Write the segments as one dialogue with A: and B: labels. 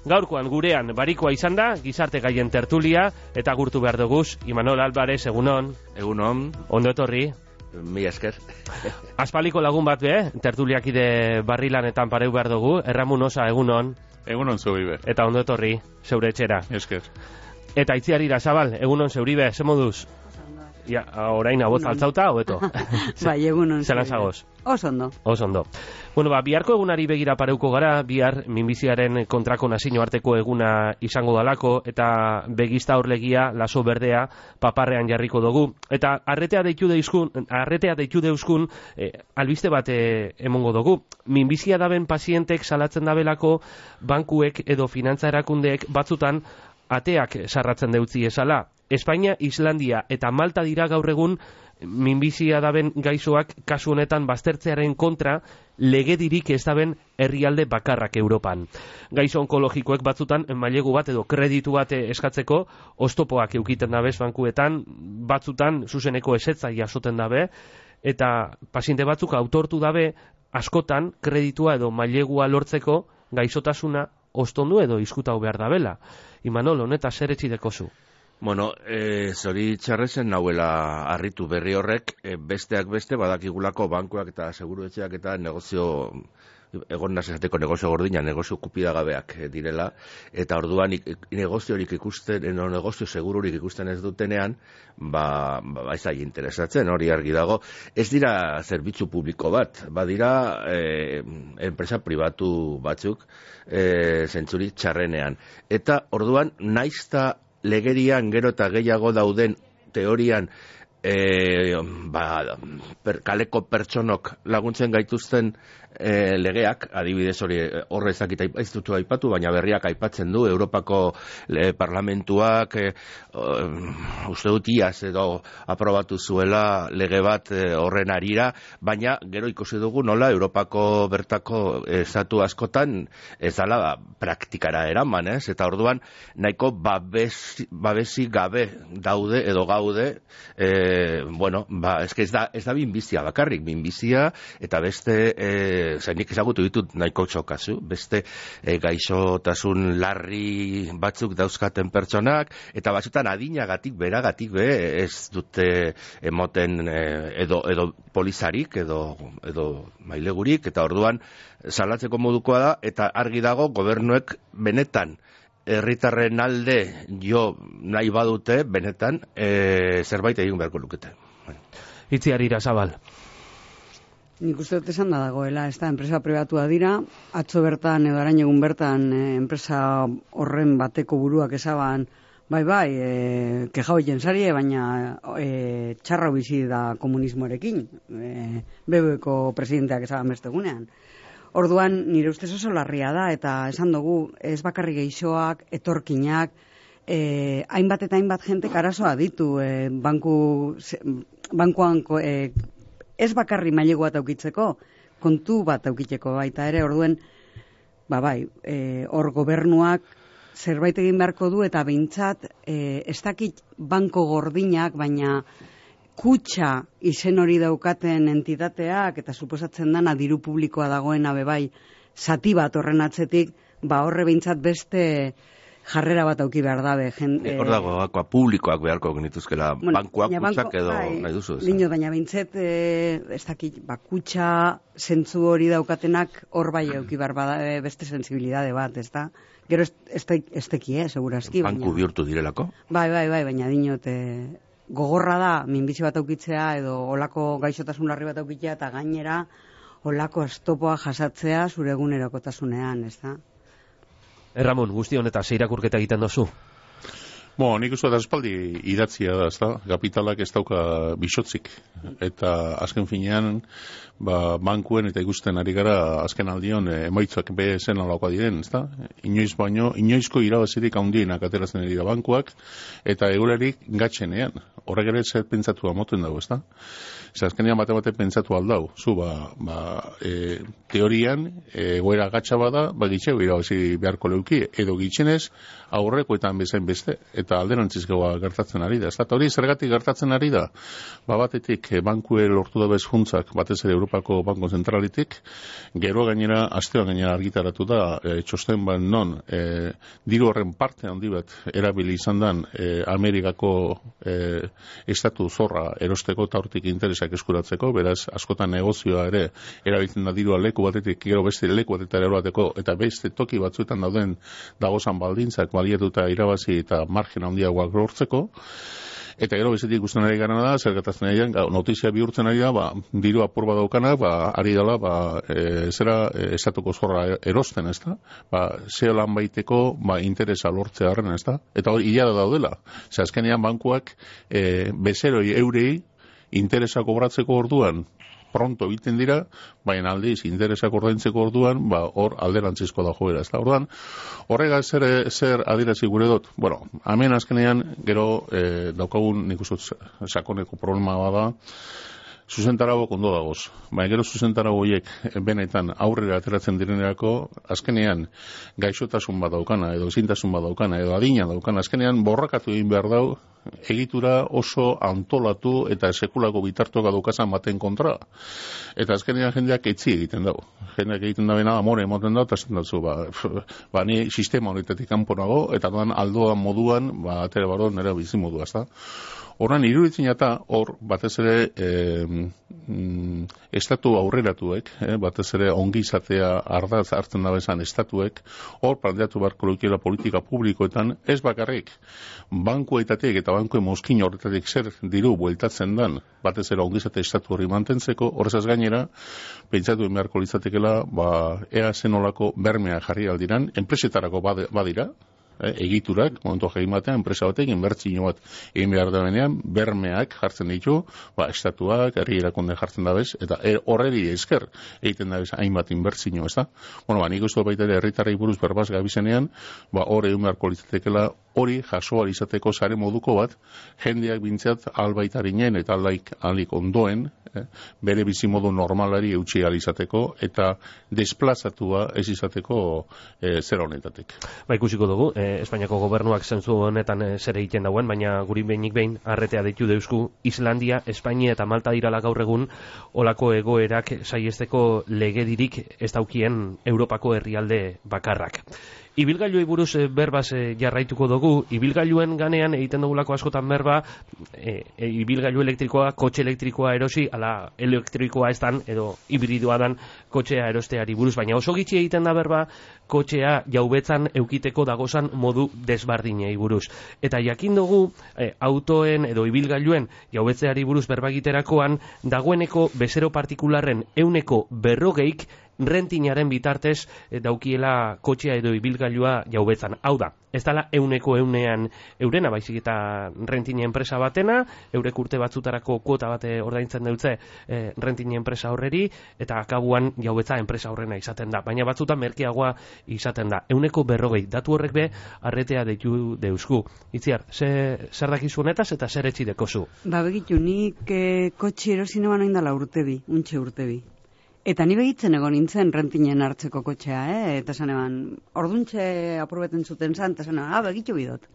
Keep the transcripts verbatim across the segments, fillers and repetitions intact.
A: Gaurkoan gurean barikoa izan da, gizarte gaien tertulia, eta gurtu behar duguz, Imanol Álvarez, egunon.
B: Egunon.
A: Ondo etorri.
B: Mi esker.
A: Aspaliko lagun bat be, tertuliakide barrilanetan pareu behar dugu, Erramun Osa, egunon.
C: Egunon zeuribe.
A: Eta ondo etorri, zeure etxera.
C: Esker.
A: Eta Itziarira Zabal, egunon zeuribe, ze moduz? Ja, orain abot altzauta, hobeto.
D: Bai, egunon.
A: Zela zagoz?
D: Osondo.
A: Osondo. Bueno, ba, biharko egunari begira pareuko gara, bihar minbiziaren kontrako nazio arteko eguna izango dalako, eta begizta horlegia, laso berdea, paparrean jarriko dugu. Eta arretea deitu deuzkun, arretea deitu deuzkun, eh, albiste bat eh, emongo dugu. Minbizia daben pazientek salatzen dabelako, bankuek edo finantza erakundeek batzutan ateak sarratzen deutzi esala. Espainia, Islandia eta Malta dira gaur egun minbizia daben gaixoak kasu honetan baztertzearen kontra legedirik ez daben herrialde bakarrak Europan. Gaixo onkologikoek batzutan mailegu bat edo kreditu bat eskatzeko oztopoak eukiten dabez bankuetan, batzutan zuzeneko ezetza jasoten dabe, eta paziente batzuk autortu dabe askotan kreditua edo mailegua lortzeko gaixotasuna ostondu edo izkutau behar dabela. Imanol, honeta zer etxideko zu?
B: Bueno, e, zori txarrezen nahuela harritu berri horrek, e, besteak beste badakigulako bankuak eta seguruetxeak eta negozio, egon nazizateko negozio gordina, negozio kupidagabeak direla, eta orduan negoziorik ikusten, no, negozio segururik ikusten ez dutenean, ba, ba ez da interesatzen, hori argi dago. Ez dira zerbitzu publiko bat, badira e, enpresa pribatu batzuk, e, zentzuri txarrenean. Eta orduan, naizta legerian gero eta gehiago dauden teorian e, ba, per, kaleko pertsonok laguntzen gaituzten e, legeak, adibidez hori horre ezakit ez dutu aipatu, baina berriak aipatzen du, Europako le, parlamentuak e, uh, uste dut iaz edo aprobatu zuela lege bat e, horren arira, baina gero ikusi dugu nola Europako bertako estatu askotan ez dala ba, praktikara eraman, ez? Eta orduan nahiko babesi, babesi gabe daude edo gaude e, bueno, ba, ez, ez da, ez da binbizia bakarrik, binbizia eta beste e, zainik ezagutu ditut nahiko txokazu, beste e, gaixotasun larri batzuk dauzkaten pertsonak, eta batzutan adinagatik, beragatik be, ez dute emoten e, edo, edo polizarik, edo, edo mailegurik, eta orduan salatzeko modukoa da, eta argi dago gobernuek benetan herritarren alde jo nahi badute, benetan e, zerbait egin beharko lukete.
A: Itziarira Zabal.
D: Nik uste dut esan da dagoela, ez da, enpresa pribatua dira, atzo bertan edo arain egun bertan e, enpresa horren bateko buruak esaban, bai bai, e, kejau jentzarie, baina e, txarra bizi da komunismoarekin, e, B B Ko presidenteak esaban bestegunean. Orduan, nire ustez oso larria da, eta esan dugu, ez bakarri geixoak, etorkinak, e, hainbat eta hainbat jentek arazoa ditu, e, banku, bankuan e, ez bakarri mailegu bat aukitzeko, kontu bat aukiteko baita ere, orduen, ba bai, e, hor gobernuak zerbait egin beharko du, eta behintzat, e, ez dakit banko gordinak, baina kutxa izen hori daukaten entitateak, eta suposatzen dana diru publikoa dagoena bebai, zati bat horren atzetik, ba horre behintzat beste jarrera bat auki behar dabe.
B: E, hor dago, gakoa, publikoak beharko genituzkela, bueno, bankuak kutsak edo bai, nahi duzu.
D: Lino, baina bintzet, e, ez dakit, ba, kutsa zentzu hori daukatenak hor bai auki behar bada, e, beste sensibilidade bat, ez da? Gero ez teki, eh, segurazki.
B: Banku baina, bihurtu direlako?
D: Bai, bai, bai, baina dinot, e, gogorra da, minbizi bat aukitzea, edo olako gaixotasun larri bat aukitzea, eta gainera, olako estopoa jasatzea zure egunerokotasunean, ez da?
A: Erramon, guzti honeta, zeirakurketa egiten dozu?
C: Bo, nik uste da espaldi idatzia da, ez da? Kapitalak ez dauka bisotzik. Eta azken finean, ba, bankuen eta ikusten ari gara azken aldion e, emaitzak be zen alakoa diren, ez da? Inoiz baino, inoizko irabazirik handienak ateratzen dira bankuak, eta egulerik gatzenean. Horrek ere zer pentsatu amoten dago, ez da? Zer azkenean bate bate pentsatu aldau. Zu, ba, ba e, teorian, egoera gatsa bada, ba gitxeu irabazi beharko leuki, edo gitxenez, aurrekoetan bezain beste. eta alderantzizkoa gertatzen ari da. Eta hori zergatik gertatzen ari da, ba batetik bankue lortu da bez funtzak, batez ere Europako Banko Zentralitik, gero gainera, astean gainera argitaratu da, e, txosten bat non, e, diru horren parte handi bat erabili izan dan e, Amerikako e, estatu zorra erosteko eta hortik interesak eskuratzeko, beraz, askotan negozioa ere erabiltzen da dirua leku batetik, gero beste leku batetik erobateko, eta beste toki batzuetan dauden dagozan baldintzak baliatuta irabazi eta margen handiagoak lortzeko. Eta gero bezetik ikusten ari garana da, zer gertatzen ari da, notizia bihurtzen ari da, ba, diru apur bat daukana, ba, ari dela, ba, e, zera e, estatuko zorra erosten, ez da? Ba, zeo lan baiteko, ba, interesa lortzea harren, ez da? Eta hori hilara daudela. Ze azkenean bankuak e, bezeroi eurei interesa kobratzeko orduan, pronto egiten dira, baina aldiz interesak ordaintzeko orduan, ba, hor alderantzizko da joera. Ez da, orduan, horrega zer, zer adirazi gure dut? Bueno, hemen azkenean, gero eh, daukagun nik uste sakoneko problema bada, zuzentarago ondo dagoz. Baina gero zuzentarago horiek benetan aurrera ateratzen direnerako, azkenean gaixotasun bat daukana, edo ezintasun bat daukana, edo adina daukana, azkenean borrakatu egin behar dau, egitura oso antolatu eta sekulako bitartuak daukazan baten kontra. Eta azkenean jendeak etzi egiten dago. Jendeak egiten da bena amore emoten dago, eta esan datzu, ba, ba, ni sistema horretatik kanponago, eta doan aldoan moduan, ba, atere baro nire bizimodua, ez da? Horren, iruditzen eta hor, batez ere, e, mm, estatu aurreratuek, eh, batez ere ongi izatea ardaz hartzen dabezan estatuek, hor planteatu beharko lukiela politika publikoetan, ez bakarrik, bankuetatik eta bankuen mozkin horretatik zer diru bueltatzen dan, batez ere ongi izate estatu hori mantentzeko, horrezaz gainera, pentsatu beharko litzatekela, ba, ea zenolako bermea jarri aldiran, enpresetarako badira, egiturak, momentu egin batean, enpresa batek, inbertzio bat egin behar da benean, bermeak jartzen ditu, ba, estatuak, herri erakunde jartzen dabez, eta er, horreri esker egiten dabez hainbat inbertzio, ez da? Bueno, ba, nik uste baita ere herritarrei buruz berbaz gabizenean, ba, hor egin beharko litzatekela, hori jasoa izateko sare moduko bat, jendeak bintzat albaitarinen eta aldaik alik ondoen, eh, bere bizimodu normalari eutxi izateko, eta desplazatua ez izateko eh, zer honetatik.
A: Ba, ikusiko dugu, eh, Espainiako gobernuak zentzu honetan eh, zer egiten dauen, baina guri behinik behin arretea deitu deusku, Islandia, Espainia eta Malta dirala gaur egun olako egoerak saiesteko legedirik ez daukien Europako herrialde bakarrak. Ibilgailuei buruz e, berbaz e, jarraituko dugu, ibilgailuen ganean egiten dugulako askotan berba, e, e, ibilgailu elektrikoa, kotxe elektrikoa erosi, ala elektrikoa ez dan, edo hibridoa dan kotxea erosteari buruz, baina oso gitxi egiten da berba, kotxea jaubetzan eukiteko dagozan modu desbardinei buruz. Eta jakin dugu, e, autoen edo ibilgailuen jaubetzeari buruz berba egiterakoan, dagoeneko bezero partikularren euneko berrogeik, rentinaren bitartez e, daukiela kotxea edo ibilgailua jaubetzan. Hau da, ez dala euneko eunean eurena, baizik eta rentine enpresa batena, eurek urte batzutarako kuota bate ordaintzen dutze e, rentine enpresa horreri, eta akabuan jaubetza enpresa horrena izaten da. Baina batzutan merkeagoa izaten da. Euneko berrogei, datu horrek be, arretea deitu deusku. Itziar, ze, zer dakizu honetaz eta zer etxi dekozu?
D: Ba, begitu, nik e, kotxe erosinoan hain dala urtebi, untxe urtebi. Eta ni begitzen egon nintzen rentinen hartzeko kotxea, eh? Eta esan eban, orduntxe aprobeten zuten zan, eta esan eban, ah, begitu bidot.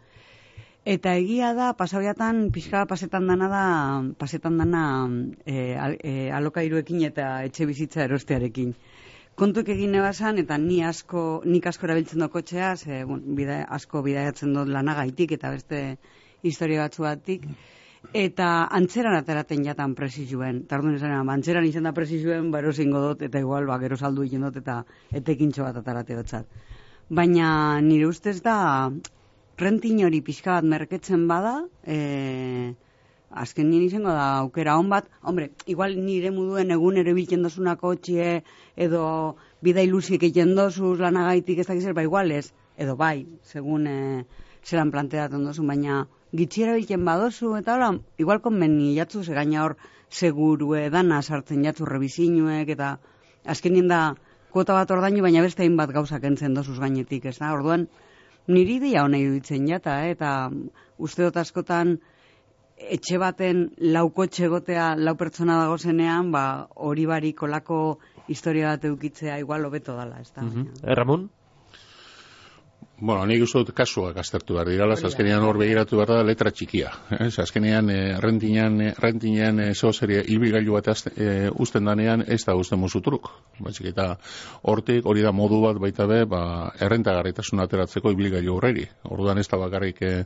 D: Eta egia da, pasabiatan, pixka pasetan dana da, pasetan dana e, al, e, alokairuekin eta etxe bizitza erostearekin. Kontuek egin nebazan, eta ni asko, nik asko erabiltzen do kotxea, ze, bon, bida, asko bidaiatzen dut lanagaitik, eta beste historia batzu batik, eta antzeran ateraten jatan presizuen. Tardun esan, antzeran izan da presizuen, ba erosingo dut, eta igual, ba, gero saldu egin dut, eta etekintxo bat atarate dotzat. Baina nire ustez da, rentin hori pixka bat merketzen bada, e, azken nien izango da aukera hon bat, hombre, igual nire muduen egun ere biltzen dozuna kotxie, edo bida ilusiek egiten dozuz lanagaitik ez dakizer, ba igual ez, edo bai, segun e, zelan planteatzen dozun, baina gitxiera biltzen badozu, eta hola, igual konbeni jatzu, ze gaina hor segurue dana sartzen jatzu rebizinuek, eta azkenien da kuota bat ordainu, baina beste hainbat gauzak entzen dozuz gainetik, ez da? Orduan, niri dia hona iruditzen jata, eh? Eta uste dut askotan etxe baten laukotxe gotea lau pertsona dago zenean, ba, hori barik olako historia bat eukitzea igual hobeto dala, ez da?
A: Mm-hmm. Ramon?
C: Bueno, nik uste dut kasuak aztertu behar dirala, azkenean hor begiratu behar da letra txikia. Ez, azkenean eh, rentinean, rentinean eh, zeo serie ibilgailu bat azte, eh, usten danean ez da usten musutruk. Batzik eta hortik hori da modu bat baita be, ba, errentagarritasun ateratzeko ibilgailu horreri. Orduan ez da bakarrik eh,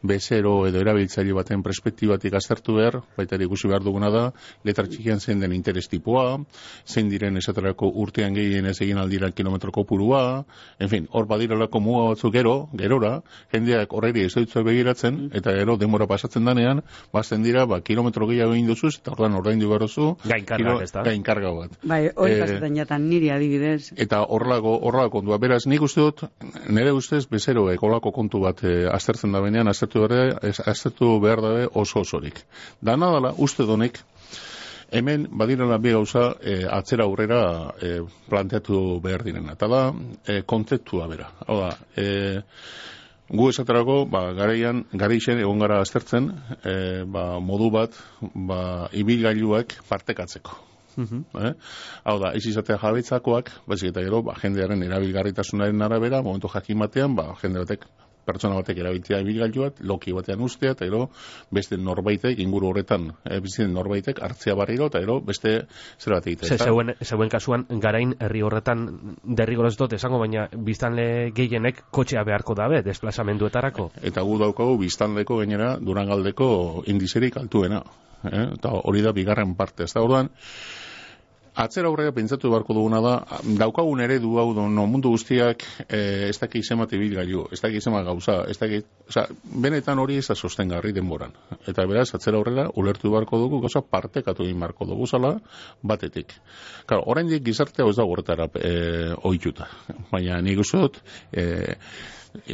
C: bezero edo erabiltzaile baten perspektibatik aztertu behar, baita ere ikusi behar duguna da, letra txikian zein den interes tipua, zein diren esaterako urtean gehien ez egin aldiran kilometro kopurua, en fin, hor badiralako muga batzuk gero, gerora, jendeak horreri ez dutzu begiratzen, eta gero denbora pasatzen danean, bazten dira, ba, kilometro gehiago egin duzuz, eta ordan ordaindu berozu,
A: gainkarga, ez da?
C: Gainkarga bat.
D: Bai, hori
C: Eh,
D: pasetan jatan niri adibidez.
C: Eta horrelako, horrelako kontua. Beraz, nik uste dut, nire ustez, bezeroek horrelako kontu bat eh, aztertzen da benean, aztertu behar, aztertu behar dabe oso osorik. Dana dala, uste donek, hemen badirela bi gauza e, atzera aurrera e, planteatu behar direna. Eta da, e, kontzeptua bera. Hau da, e, gu esaterako, ba, garaian, garaixen egon gara aztertzen, e, ba, modu bat, ba, ibilgailuak partekatzeko.
A: Mhm.
C: Eh? Hau da, ez izatea jabetzakoak, baizik eta gero, ba, jendearen erabilgarritasunaren arabera, momentu jakin batean, ba, jende batek, pertsona batek erabiltzea ibilgailu bat, loki batean ustea, eta gero, beste norbaitek, inguru horretan, e, bizitzen norbaitek, hartzea barriro, eta gero, beste zer bat egitea.
A: Ze, zeuen, zeuen kasuan, garain herri horretan derrigorez dut esango, baina biztanle gehienek kotxea beharko dabe, desplazamenduetarako.
C: Eta gu daukagu biztanleko gainera Durangaldeko indizerik altuena. Eh? Eta hori da bigarren parte. Ez da orduan, atzera aurrera pentsatu beharko duguna da, daukagun eredu hau no, mundu guztiak eh, ez daki izemat ibilgailu, ez daki izemat gauza, ez daki, oza, benetan hori ez da sostengarri denboran. Eta beraz, atzera aurrera ulertu beharko dugu, gauza partekatu egin beharko dugu zala, batetik. Claro, oraindik gizartea ez da horretara eh, ohituta. Baina nik uste dut, eh,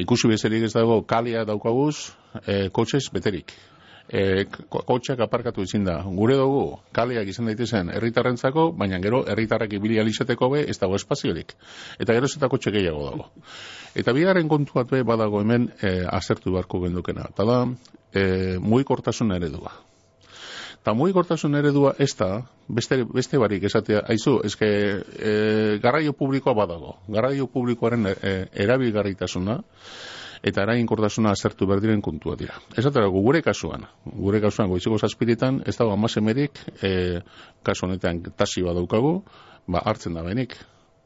C: ikusi bezerik ez dago kalea daukaguz, eh, kotxez beterik. E, kotxeak aparkatu izin da. Gure dugu, kaleak izan daitezen herritarrentzako, baina gero herritarrak ibili alizateko be, ez dago espaziorik. Eta gero ez eta kotxe gehiago dago. Eta bigarren kontuat be badago hemen e, azertu beharko gendukena. Eta da, e, mugikortasun eredua. Eta mugikortasun eredua ez da, beste, beste barik esatea, aizu, ezke e, garraio publikoa badago. Garraio publikoaren e, erabilgarritasuna, eta eraginkortasuna azertu berdiren kontua dira. Ez aterako gure kasuan, gure kasuan goizeko zazpiritan, ez dago amasemerik, e, kasu honetan taxi badaukagu, ba hartzen da benik.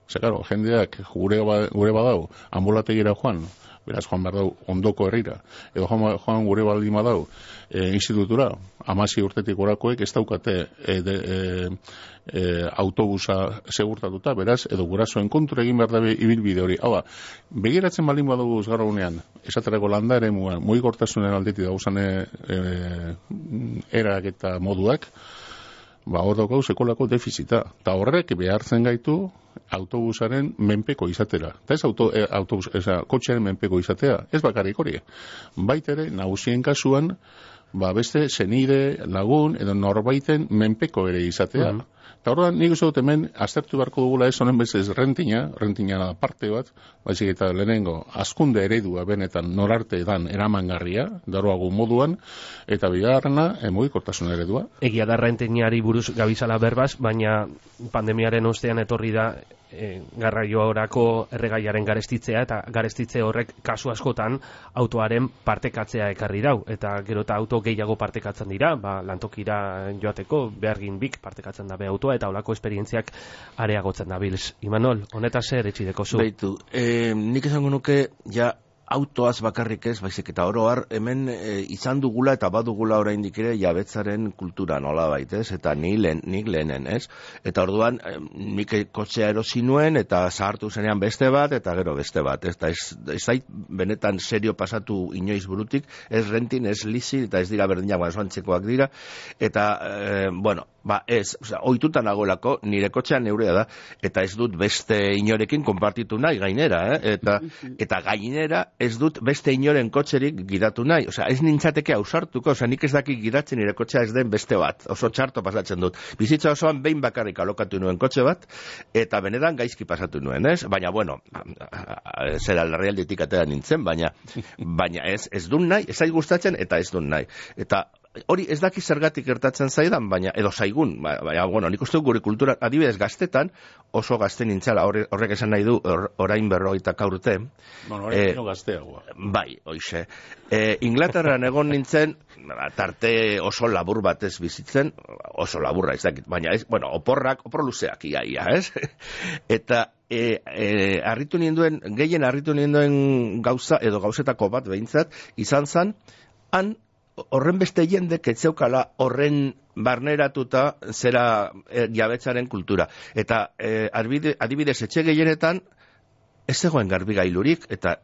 C: Zer, karo, jendeak gure, ba, gure badau, ambulategira joan, beraz joan behar dau ondoko herrira, edo joan, joan gure baldin badau e, institutura, amasi urtetik orakoek ez daukate e, de, e, e, autobusa segurtatuta, beraz, edo gurasoen kontra egin behar dabe ibilbide hori. Hau da, begiratzen baldin badugu gara unean, esaterako landa ere muan, mugikortasunen aldetik dauzan e, e, erak eta moduak, ba, hor daukau sekolako defizita. Eta horrek behartzen gaitu autobusaren menpeko izatera. Eta ez auto, e, autobus, eza, kotxearen menpeko izatea. Ez bakarrik hori. Baitere, nagusien kasuan, ba, beste senide, lagun, edo norbaiten menpeko ere izatea. Mm. Eta horrean, nik uste dut hemen, aztertu beharko dugula ez honen bezez rentina, rentina da parte bat, baizik eta lehenengo, azkunde eredua benetan norarte dan eramangarria, daroago moduan, eta bigarrena, mugikortasun eredua.
A: Egia da rentinari buruz gabizala berbaz, baina pandemiaren ostean etorri da e, garraio orako erregaiaren garestitzea, eta garestitze horrek kasu askotan autoaren partekatzea ekarri dau, eta gero eta auto gehiago partekatzen dira, ba, lantokira joateko, behargin bik partekatzen dabe autoa, eta holako esperientziak areagotzen da bilz. Imanol, honetaz zer etxideko zu?
B: Beitu, eh, nik esango nuke, ja, autoaz bakarrik ez, baizik eta oro har, hemen e, izan dugula eta badugula oraindik ere jabetzaren kultura nolabait, ez? Eta ni lehen, nik lehenen, ez? Eta orduan, e, nik kotxea erosi nuen eta zahartu zenean beste bat, eta gero beste bat, ez? Eta ez, ez zait benetan serio pasatu inoiz burutik, ez rentin, ez lizi, eta ez dira berdinak, baina antzekoak dira, eta, e, bueno, ba ez, oza, ohituta nagoelako, nire kotxea neurea da, eta ez dut beste inorekin konpartitu nahi gainera, eh? eta, eta gainera ez dut beste inoren kotxerik gidatu nahi, osea, ez nintzateke ausartuko, osea, nik ez dakik gidatzen nire kotxea ez den beste bat, oso txarto pasatzen dut. Bizitza osoan behin bakarrik alokatu nuen kotxe bat, eta benetan gaizki pasatu nuen, ez? Baina, bueno, zera larrialditik atera nintzen, baina, baina ez, ez dut nahi, ez zait gustatzen, eta ez dut nahi. Eta hori ez daki zergatik gertatzen zaidan, baina edo zaigun, baina, bueno, nik uste gure kultura, adibidez gaztetan, oso gazte nintzala, horrek esan nahi du, or, orain berrogeita urte.
C: Bueno, orain eh, gazteagoa.
B: Bai, hoize. Eh, Inglaterran egon nintzen, tarte oso labur batez bizitzen, oso laburra ez dakit, baina ez, bueno, oporrak, opor luzeak iaia, ez? Eta E, e, arritu ninduen, gehien arritu ninduen gauza, edo gauzetako bat behintzat, izan zan, han horren beste jendek etzeukala horren barneratuta zera e, jabetzaren kultura. Eta e, adibidez etxe gehienetan, ez zegoen garbigailurik, eta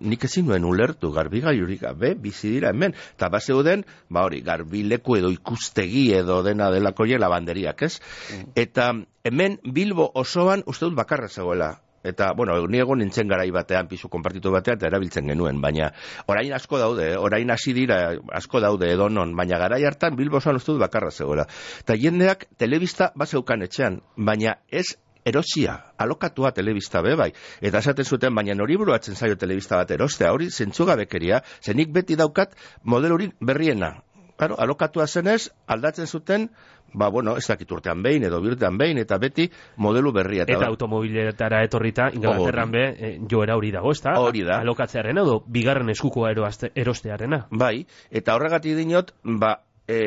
B: nik ezin nuen ulertu garbigailurik, be, bizi dira hemen. Eta bazeuden, ba hori, garbileku edo ikustegi edo dena delako jela banderiak, ez? Mm. Eta hemen Bilbo osoan uste dut bakarra zegoela. Eta, bueno, ni egon nintzen garai batean, pisu konpartitu batean, eta erabiltzen genuen, baina orain asko daude, orain hasi dira asko daude edonon, baina garai hartan Bilbo osoan uste dut bakarra zegoela. Eta jendeak telebista bazeukan etxean, baina ez erosia, alokatua telebista be bai. Eta esaten zuten, baina hori buruatzen zaio telebista bat erostea, hori zentzugabekeria, zenik beti daukat modelurik berriena. Claro, alokatua zenez, aldatzen zuten, ba, bueno, ez dakit urtean behin edo birtean behin, eta beti modelu berria.
A: Eta, eta automobiletara etorrita, Inglaterran be, e, joera hori dago, ez da?
B: Hori da.
A: Alokatzearen edo, bigarren eskukoa erostearena.
B: Bai, eta horregatik dinot, ba, e,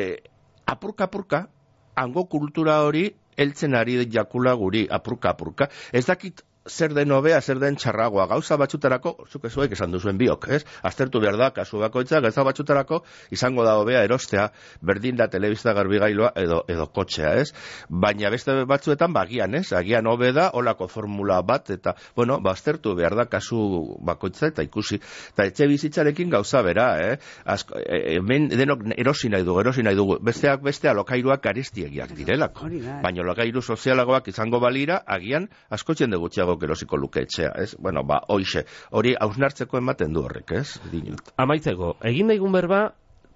B: apurka-apurka, hango kultura hori, heltzen ari jakula guri, apurka-apurka. Ez dakit zer den hobea, zer den txarragoa. Gauza batzutarako, zuk ezuek esan duzuen biok, ez? Aztertu behar da, kasu bakoitza, gauza batzutarako izango da hobea erostea, berdin da telebista garbigailua edo, edo kotxea, ez? Baina beste batzuetan, bagian, ez? Agian hobe da, olako formula bat, eta, bueno, ba, aztertu behar da, kasu bakoitza, eta ikusi. Eta etxe bizitzarekin gauza bera, eh? Azko, e, hemen denok erosi nahi dugu, erosi nahi dugu. Besteak beste alokairuak garestiegiak direlako. Baina alokairu sozialagoak izango balira, agian, askotzen de gutxiago erosiko luke etxea, ez? Bueno, ba, hoixe, hori hausnartzeko ematen du horrek, ez? Dinot.
A: Amaitzeko, egin daigun berba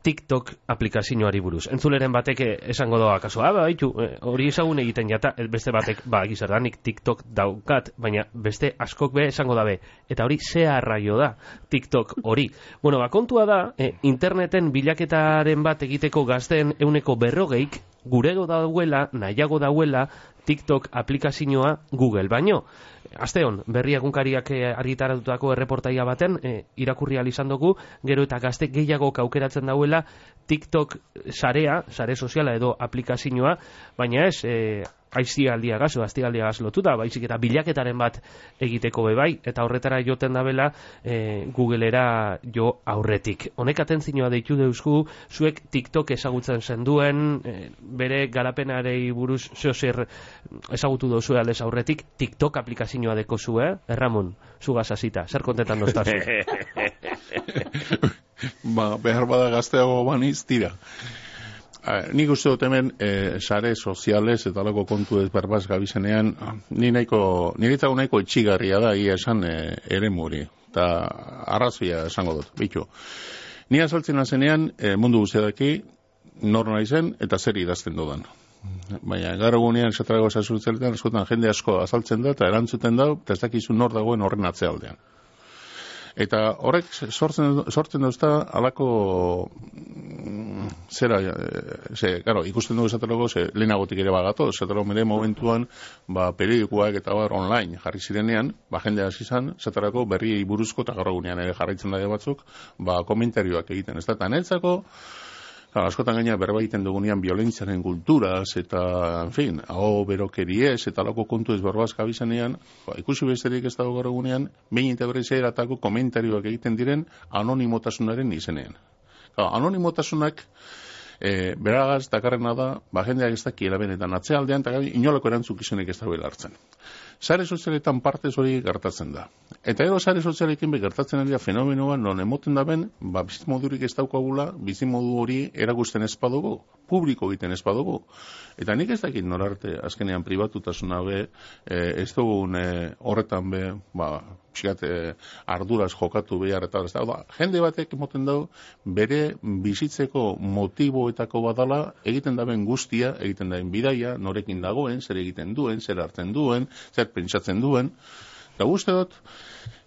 A: TikTok aplikazioari buruz. Entzuleren batek esango doa kaso, ah, baitu, hori ezagun egiten jata, beste batek, ba, gizardanik TikTok daukat, baina beste askok be esango dabe. Eta hori ze arraio da, TikTok hori. Bueno, ba, kontua da, eh, interneten bilaketaren bat egiteko gazten euneko berrogeik, gurego dauela, nahiago dauela, TikTok aplikazioa Google baino. Asteon, berri egunkariak argitaratutako erreportaia baten, e, irakurri ahal izan dugu, gero eta gazte gehiago aukeratzen dauela TikTok sarea, sare soziala edo aplikazioa, baina ez, e, aiztialdia gaz, o aiztialdia gaz lotuta, baizik eta bilaketaren bat egiteko bebai, eta horretara joten dabela e, Googlera jo aurretik. Honek atentzioa deitu deuzku, zuek TikTok ezagutzen zenduen, e, bere garapenarei buruz zeo zer ezagutu dozu aldez aurretik, TikTok aplikazioa deko zu, eh? Erramon, zugaz hasita, zer kontetan doztazu?
C: Ba, behar bada gazteago baniz, tira. Uh, nik uste dut hemen eh, sare soziales eta lako kontu ez berbaz gabizenean, ni nahiko, niretzago nahiko etxigarria da, ia esan eh, ere muri, eta arrazoia esango dut, bitu. Ni azaltzen azenean eh, mundu guztiadaki nor nahi zen eta zer idazten dudan. Baina gara gunean esatarago esasurtzeletan, eskotan jende asko azaltzen da eta erantzuten da, eta ez dakizu nor dagoen horren atzealdean. Eta horrek sortzen, sortzen dauzta alako zera, ze, claro, ikusten dugu esatelago, ze lehenagotik ere bagato, esatelago mere momentuan, ba, periodikoak eta bar online jarri zirenean, ba, jende hasi izan, esatelago berriei buruzko eta gaur egunean ere jarraitzen daia batzuk, ba, komentarioak egiten, ez da, eta netzako, claro, askotan gaina berba egiten dugunean violentziaren kulturaz eta, en fin, hau berokeriez eta lako kontu ez berbaz gabizenean, ba, ikusi besterik ez dago gaur egunean, behin eta berriz eratako komentarioak egiten diren anonimotasunaren izenean. Claro, anonimotasunak e, beragaz dakarrena da, ba, jendeak ez dakiela benetan atzealdean, eta inolako erantzukizunek ez dago hartzen. Sare sozialetan partez hori gertatzen da. Eta ero sare sozialekin be gertatzen ari da fenomenoa non emoten da ben, ba, bizimodurik ez daukagula, bizimodu hori erakusten ez badugu, publiko egiten ez badugu. Eta nik ez dakit norarte, azkenean pribatutasuna be, e, ez dugun e, horretan be, ba, pixkat e, arduraz jokatu behar eta ez da. Da, jende batek emoten dau, bere bizitzeko motiboetako badala, egiten da ben guztia, egiten da ben bidaia, norekin dagoen, zer egiten duen, zer hartzen duen, zer pentsatzen duen, eta guzti dut,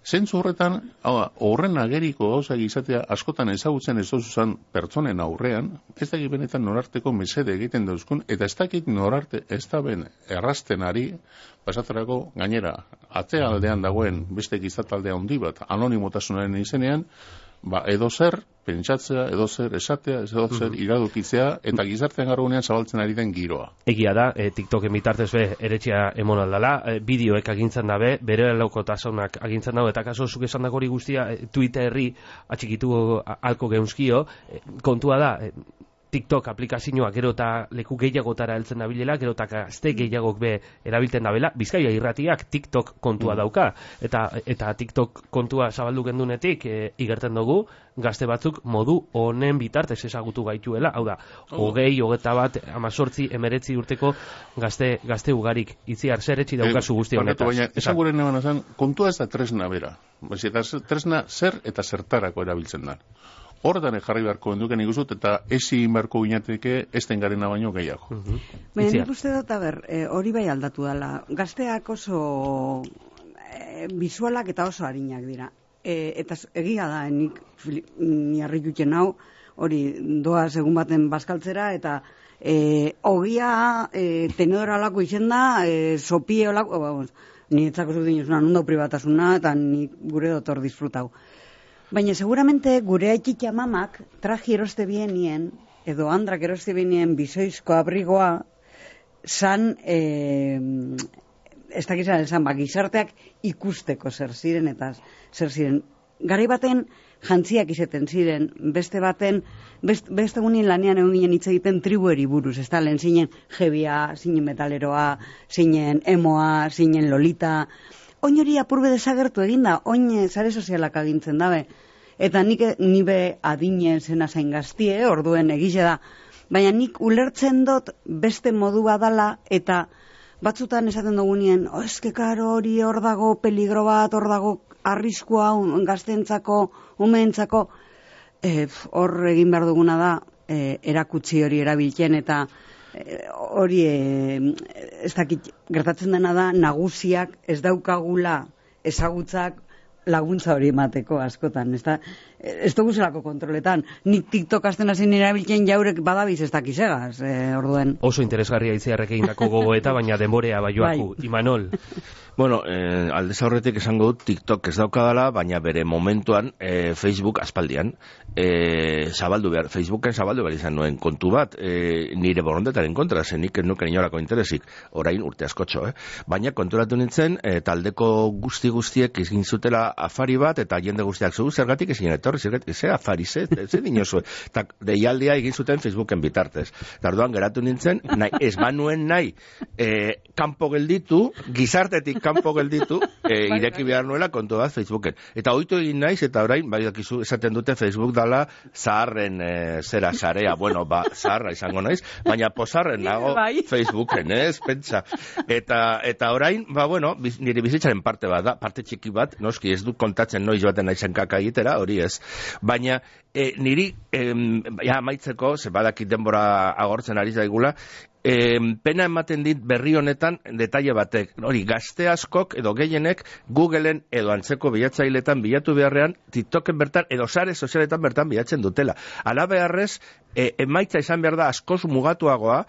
C: Zentzu horretan, hau, horren ageriko gauzak izatea askotan ezagutzen ez dozuzan pertsonen aurrean, ez dakit benetan norarteko mesede egiten dauzkun, eta ez dakit norarte ez da ben errasten ari, pasatzerako gainera, atzea aldean dagoen beste gizataldea handi bat, anonimotasunaren izenean, ba, edo zer, pentsatzea, edo zer, esatea, edo zer, iradokitzea, eta gizartean garrunean zabaltzen ari den giroa.
A: Egia da, e, TikToken bitartez be, eretxea emon aldala, e, bideoek agintzen dabe, bere laukotasunak agintzen dabe, eta kaso zuk esan hori guztia, e, Twitterri atxikitu alko geunskio, e, kontua da, e, TikTok aplikazioa gero eta leku gehiagotara heltzen dabilela, gero eta gazte gehiagok be erabiltzen dabela, Bizkaia irratiak TikTok kontua dauka, eta eta TikTok kontua zabaldu gendunetik e, igerten dugu, gazte batzuk modu honen bitartez ezagutu gaituela, hau da, hogei, hogeta bat, amazortzi, emeretzi urteko gazte, gazte ugarik, itziar zer etxi daukazu guzti honetaz.
C: Baina, esan gure neban azan, kontua ez da tresna bera, eta tresna zer eta zertarako erabiltzen da. Horretan jarri beharko enduken ikuzut, eta ezin beharko ginateke esten garena baino gehiago.
D: Uh -huh. Baina nik uste dut, ber, e, hori bai aldatu dela. Gazteak oso e, bizualak eta oso harinak dira. E, eta egia da, nik ni harritutzen hau, hori doa segun baten bazkaltzera, eta e, ogia e, tenedora lako izen da, e, sopie olako, ba, ni etzako zut dinuzuna, nundo privatasuna, eta ni gure dotor disfrutau. Baina seguramente gure aitzitxa mamak traji eroste bienien, edo andrak eroste bienien bizoizko abrigoa, zan, e, ez dakizan esan, ba, gizarteak ikusteko zer ziren, eta zer ziren. Garai baten jantziak izeten ziren, beste baten, best, beste gunin lanean egon ginen hitz egiten tribueri buruz, ez da, lehen zinen jebia, zinen metaleroa, zinen emoa, zinen lolita. Oin hori apurbe desagertu eginda, oin sare sozialak agintzen dabe. Eta nik nibe adine zena zain gaztie, orduen egize da. Baina nik ulertzen dut beste modu badala, eta batzutan esaten dugunien, oh, eske karo hori hor dago peligro bat, hor dago arriskua gaztentzako, umeentzako, e, hor egin behar duguna da, e, erakutsi hori erabiltzen, eta e, hori e, ez dakit gertatzen dena da, nagusiak ez daukagula ezagutzak laguntza hori emateko askotan, ez da, ez dugu zelako kontroletan. Nik TikTok azten hazin erabiltzen jaurek badabiz ez dakizegaz, e, orduen.
A: Oso interesgarria itziarrek egindako gogoeta, baina denborea baioaku, bai. Imanol.
B: Bueno, eh, aldez aurretik esango dut TikTok ez daukadala, baina bere momentuan eh, Facebook aspaldian eh, zabaldu behar, Facebooken zabaldu behar izan nuen kontu bat, eh, nire borondetaren kontra, zenik nuken inolako interesik, orain urte askotxo, eh? Baina konturatu nintzen, eh, taldeko guzti guztiek egin zutela afari bat, eta jende guztiak zu, zergatik ezin etorri, zergatik, ze afari, ze, ze dinozu, eta deialdia egin zuten Facebooken bitartez. Tarduan geratu nintzen, nahi, ez banuen nahi, eh, kanpo gelditu, gizartetik kanpo gelditu, e, ireki behar nuela kontu bat Facebooken. Eta ohitu egin naiz, eta orain, bai dakizu, esaten dute Facebook dala zaharren e, zera sarea, bueno, ba, zaharra izango naiz, baina pozarren nago Facebooken, ez, pentsa. Eta, eta orain, ba, bueno, biz, nire bizitzaren parte bat da, parte txiki bat, noski ez du kontatzen noiz baten naizen kaka egitera, hori ez. Baina, e, niri, e, ja, maitzeko, ze badakit denbora agortzen ari zaigula, E, pena ematen dit berri honetan detaile batek, hori gazte askok edo gehienek Googleen edo antzeko bilatzailetan bilatu beharrean TikToken bertan edo sare sozialetan bertan bilatzen dutela. Hala beharrez, e, emaitza izan behar da askoz mugatuagoa,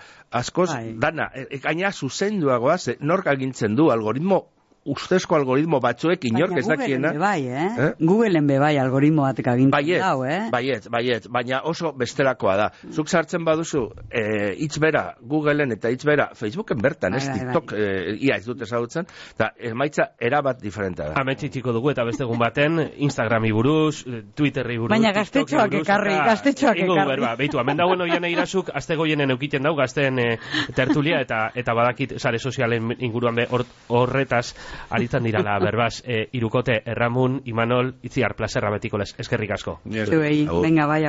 B: askoz Ai. dana, e, gaina zuzenduagoa, ze nork agintzen du algoritmo ustezko algoritmo batzuek inork ez dakiena.
D: Bai, eh? eh? Googleen be bai algoritmo batek agintzen dau, eh?
B: Baiet, baiet, baina oso bestelakoa da. Zuk sartzen baduzu eh, hitz bera Googleen eta hitz bera Facebooken bertan, ez TikTok, eh, ia ez dut ezagutzen, eta emaitza erabat diferentea da.
A: Ametsi txiko dugu eta beste egun baten Instagrami buruz, Twitterri buruz,
D: baina gaztetxoak ekarri, gaztetxoak ekarri.
A: Ba, beitu, hemen dagoen oian eirazuk, azte goienen eukiten dau, gazten eh, tertulia, eta eta badakit sare sozialen inguruan be horretaz aritzen dirala, berbaz, e, Irukote, Erramun, Imanol, Itziar, plazerra betiko les, eskerrik asko.
D: Zuei, venga, bai,